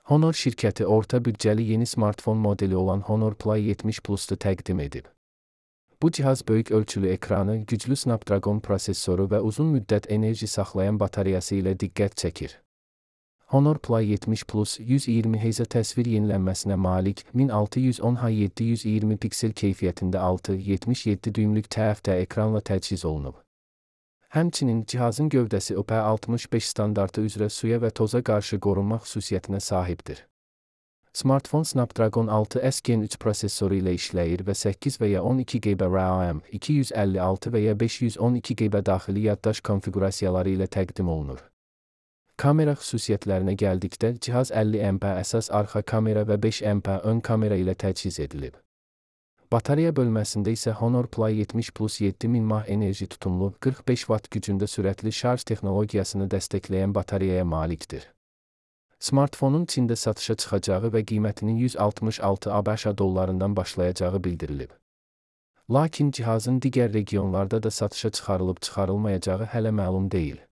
Honor şirkəti orta büdcəli yeni smartfon modeli olan Honor Play 70 Plus-u təqdim edib. Bu cihaz böyük ölçülü ekranı, güclü Snapdragon prosesoru və uzun müddət enerji saxlayan batareyası ilə diqqət çəkir. Honor Play 70 Plus 120 Hz təsvir yenilənməsinə malik 1610x720 piksel keyfiyyətində 6.77 düymlük TFT ekranla təchiz olunub. Həmçinin cihazın gövdəsi IP65 standartı üzrə suya və toza qarşı qorunma xüsusiyyətinə sahibdir. Smartfon Snapdragon 6S Gen 3 prosesoru ilə işləyir və 8 və ya 12 GB RAM, 256 və ya 512 GB daxili yaddaş konfiqurasiyaları ilə təqdim olunur. Kamera xüsusiyyətlərinə gəldikdə, cihaz 50 MP əsas arxa kamera və 5 MP ön kamera ilə təchiz edilib. Batareya bölməsində isə Honor Play 70 Plus 7000 mAh enerji tutumlu, 45 Watt gücündə sürətli şarj texnologiyasını dəstəkləyən batareyaya malikdir. Smartfonun Çində satışa çıxacağı və qiymətinin 166 ABŞ dollarından başlayacağı bildirilib. Lakin cihazın digər regionlarda da satışa çıxarılıb-çıxarılmayacağı hələ məlum deyil.